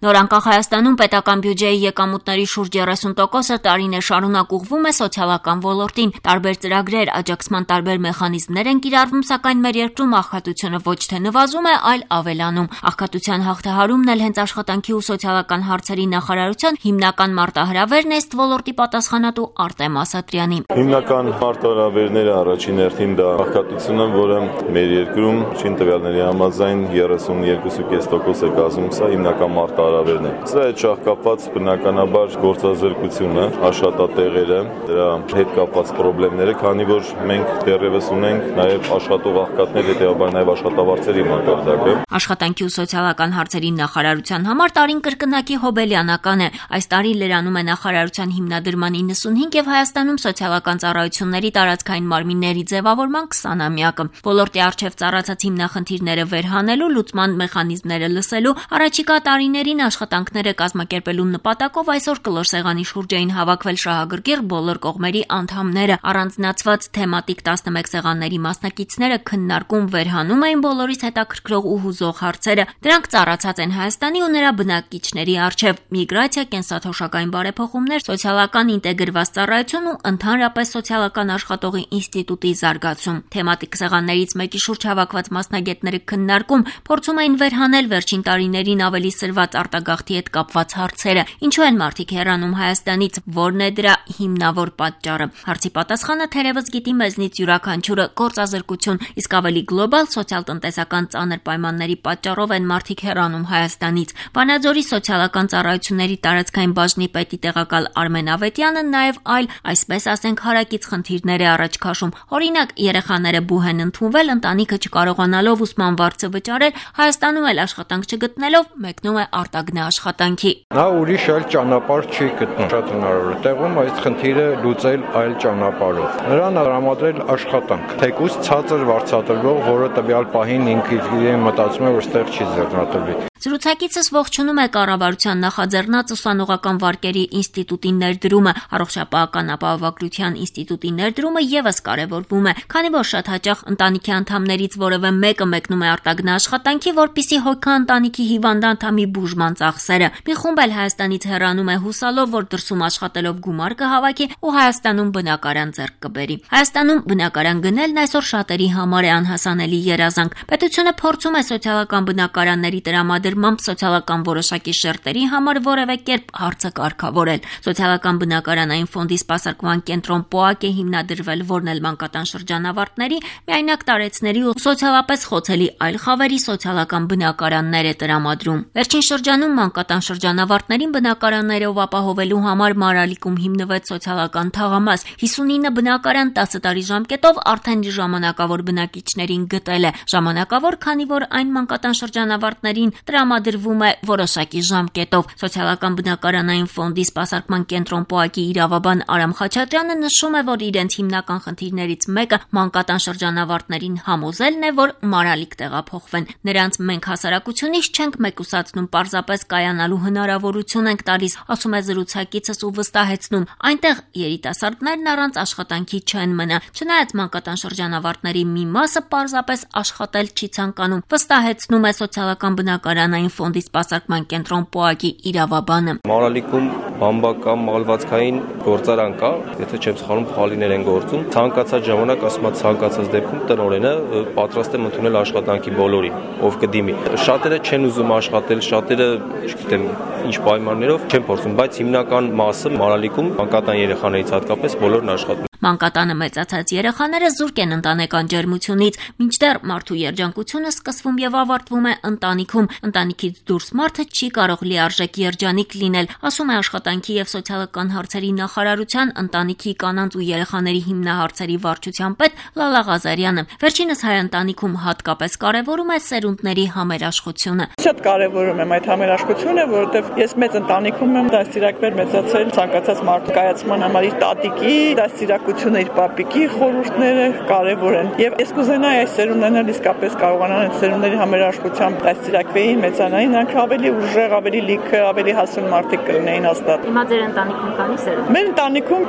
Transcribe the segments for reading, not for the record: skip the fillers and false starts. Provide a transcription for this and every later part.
Նորանկախ Հայաստանում պետական բյուջեի եկամուտների շուրջ 30%-ը տարիներ շարունակ ուղղվում է սոցիալական ոլորտին։ Տարբեր ծրագրեր, աջակցման տարբեր մեխանիզմներ են կիրառվում, սակայն մեր երկրում աղքատությունը ոչ թե նվազում է, այլ ավելանում։ Աղքատության հաղթահարումն էլ հենց աշխատանքի ու սոցիալական հարցերի նախարարության հիմնական մարտահրավերն է, ըստ ոլորտի պատասխանատու Արտեմ Ասատրյանի։ Հիմնական մարտահրավերները առաջին հերթին դա աղքատությունը, որը մեր երկրում շին տվյալների համաձայն 32.5% է կազմում, սա հիմնական մարտահրավերն է։ Սրա հետ շահկապված բնականաբար գործազրկությունը, աշխատատեղերը, դրա հետ կապված խնդիրները, քանի որ մենք դեռևս ունենք նաև աշխատող աղքատներ, հետեւաբար նաև աշխատավարձերի մակարդակը։ Աշխատանքի ու սոցիալական հարցերի նախարարության համար տարին կրկնակի հոբելյանական է։ Այս տարի լրանում է նախարարության հիմնադրման 95 եւ Հայաստանում սոցիալական ծառայությունների տարածքային մարմինների ձևավորման 20-ամյակը։ Ոլորտի առջև ծառացած հիմնախնդիրները վերհանելու, լուծման մեխանիզմները լսելու, առաջիկա տարիներին աշխատանքները կազմակերպելու նպատակով այսօր կլոր սեղանի շուրջ էին հավաքվել շահագրգիռ բոլոր կողմերի անդամները։ Առանձնացված թեմատիկ 11 սեղանների մասնակիցները քննարկում վերհանում էին բոլորիս հետաքրքրող ու հուզող հարցերը։ Դրանք ծառացած են Հայաստանի ու նրա բնակիչների առջև՝ միգրացիա, կենսաթոշակային բարեփոխումներ, սոցիալական ինտեգրված ծառայություն ու ընդհանրապես սոցիալական աշխատողի ինստիտուտի զարգացում։ Թեմատիկ սեղաններից մեկի շուրջ հավաքված մասնագետները քննարկում փորձում էին վերհանել վերջին տարիներին ավելի սրված արտագաղթի հետ կապված հարցերը։ Ինչու են մարդիկ հեռանում Հայաստանից, որն է դրա հիմնավոր պատճառը։ Հարցի պատասխանը թերևս գիտի մեզնից յուրաքանչյուրը՝ գործազրկություն, իսկ ավելի գլոբալ սոցիալ-տնտեսական ծանր պայմանների պատճառով են մարդիկ հեռանում Հայաստանից։ Վանաձորի սոցիալական ծառայությունների տարածքային բաժնի պետի տեղակալ Արմեն Ավետյանը նաև այլ, այսպես ասենք, հարակից խնդիրներ է առաջ քաշում։ Օրինակ, երեխաները բուհ են ընդունվել, ընտանիքը չկարողանալով ուսման վարձը վճարել, Հայաստանում էլ աշխատանք չգտնելով մեկնում է արտագնա աշխատանքի։ Նա ուրիշ այլ ճանապարհ չի գտնում։ Շատ հնարավոր է տեղում այս խնդիրը լուծել այլ ճանապարհով։ Նրան տրամադրել աշխատանք, թեկուզ ցածր վարձատրվող, որը տվյալ պահին ինքը իրեն մտածում է, որ ստեղ չի ձեռնադրվի։ Զրուցակիցս ողջունում է կառավարության նախաձեռնած ուսանողական վարկերի ինստիտուտի ներդրումը, առողջապահական ապահովագրության ինստիտուտի ներդրումը եւս կարևորվում է, քանի որ շատ հաճախ ընտանիքի անդամներից որևէ մեկը մեկնում է արտագնա աշխատանքի, որպիսի հոգա ընտանիքի հիվանդ անդամի բուժման ծախսերը։ Մի խումբ էլ Հայաստանից հեռանում է հուսալով, որ դրսում աշխատելով գումար կհավաքի ու Հայաստանում բնակարան ձեռք կբերի։ Հայաստանում բնակարան գնելն այսօր շատերի համար է անհասանելի երազանք։ Պետությունը փորձում է սոցիալական բնակարանների տրամադրմամբ սոցիալական որոշակի շերտերի համար որևէ կերպ հարցը կարգավորել։ Սոցիալական բնակարանային ֆոնդի սպասարկման կենտրոն ՊՕԱԿ է հիմնադրվել, որն էլ մանկատան շրջանավարտների, միայնակ տարեցների ու սոցիալապես խոցելի այլ խավերի սոցիալական բնակարաններ է տրամադրում։ Վերջին շրջանում մանկատան շրջանավարտներին բնակարաններով ապահովելու համար Մարալիկում հիմնվեց սոցիալական թաղամաս։ 59 բնակարան 10 տարի ժամկետով արդեն ժամանակավոր բնակիչներին գտել է։ Ժամանակավոր, քանի որ այն մանկատան շրջանավարտներին տրամադրվում է որոշակի ժամկետով։ Սոցիալական բնակարանային ֆոնդի սպասարկման կենտրոն ՊՕԱԿ-ի իրավաբան Արամ Խաչատրյանը նշում է, որ իրենց հիմնական խնդիրներից մեկը մանկատան շրջանավարտներին համոզելն է, որ Մարալիկ տեղափոխվեն։ Նրանց մենք հասարակությունից չենք մեկուսացնում, պարզապես կայանալու հնարավորություն ենք տալիս, ասում է զրուցակիցս ու վստահեցնում, այնտեղ երիտասարդներն առանց աշխատանքի չեն մնա։ Չնայած մանկատան շրջանավարտների մի մասը պարզապես աշխատել չի ցանկանում, վստահեցնում է սոցիալական բնակարանային ֆոնդի սպասարկման կենտրոն ՊՕԱԿ-ի իրավաբանը։ Մարալիկում բամբակա մալվածքային գործարան կա, եթե չեմ սխալվում, խալիներ են գործում։ Ցանկացած ժամանակ, ասում եմ, ցանկացած դեպքում տնօրենը պատրաստ է ընդունել աշխատանքի բոլորին, ով կդիմի։ Շատերը չեն ուզում աշխատել, շատերը, չգիտեմ, ինչ պայմաններով չեն փորձում, բայց հիմնական մասը Մարալիկում մանկատան երեխաներից հատկապես բոլորն աշխատում։ Մանկատանը մեծացած երեխաները զուրկ են ընտանեկան ջերմությունից, մինչդեռ մարդու երջանկությունը սկսվում եւ ավարտվում է ընտանիքում։ Ընտանիքից դուրս մարդը չի կարող լիարժեք երջանիկ լինել, ասում է Աշխատանքի եւ սոցիալական հարցերի նախարարության ընտանիքի, կանանց ու երեխաների հիմնահարցերի վարչության պետ Լալա Ղազարյանը։ Վերջինս հայ ընտանիքում հատկապես կարևորում է սերունդների համերաշխությունը։ Շատ կարևորում եմ այդ համերաշխությունը, որովհետեւ ես մեծ ընտանիքում եմ դաստիարակվել մեծացել, ցանկացած մարդու կայացման համար իր տատիկի դաստիարակությունը, իր պապիկի խորհուրդները կարևոր են։ Եվ ես կուզենայի այս սերունդներն իսկապես կարողանան այդ սերունդների համերաշխությամբ դաստիարակվեին, մեծանային, նրանք ավելի ուժեղ, ավելի լիքը, ավելի հասուն մարդիկ կլինեին հաստատ։ Հիմա ձեր ընտանիքում քանի սերունդ։ Մեր ընտանիքում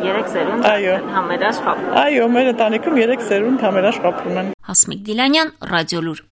3 սերունդ համերաշխապ։ Այո, մեր ընտանիքում 3 սերունդ համերաշխապում են։ Հասմիկ Դիլանյան, Ռադիոլուր։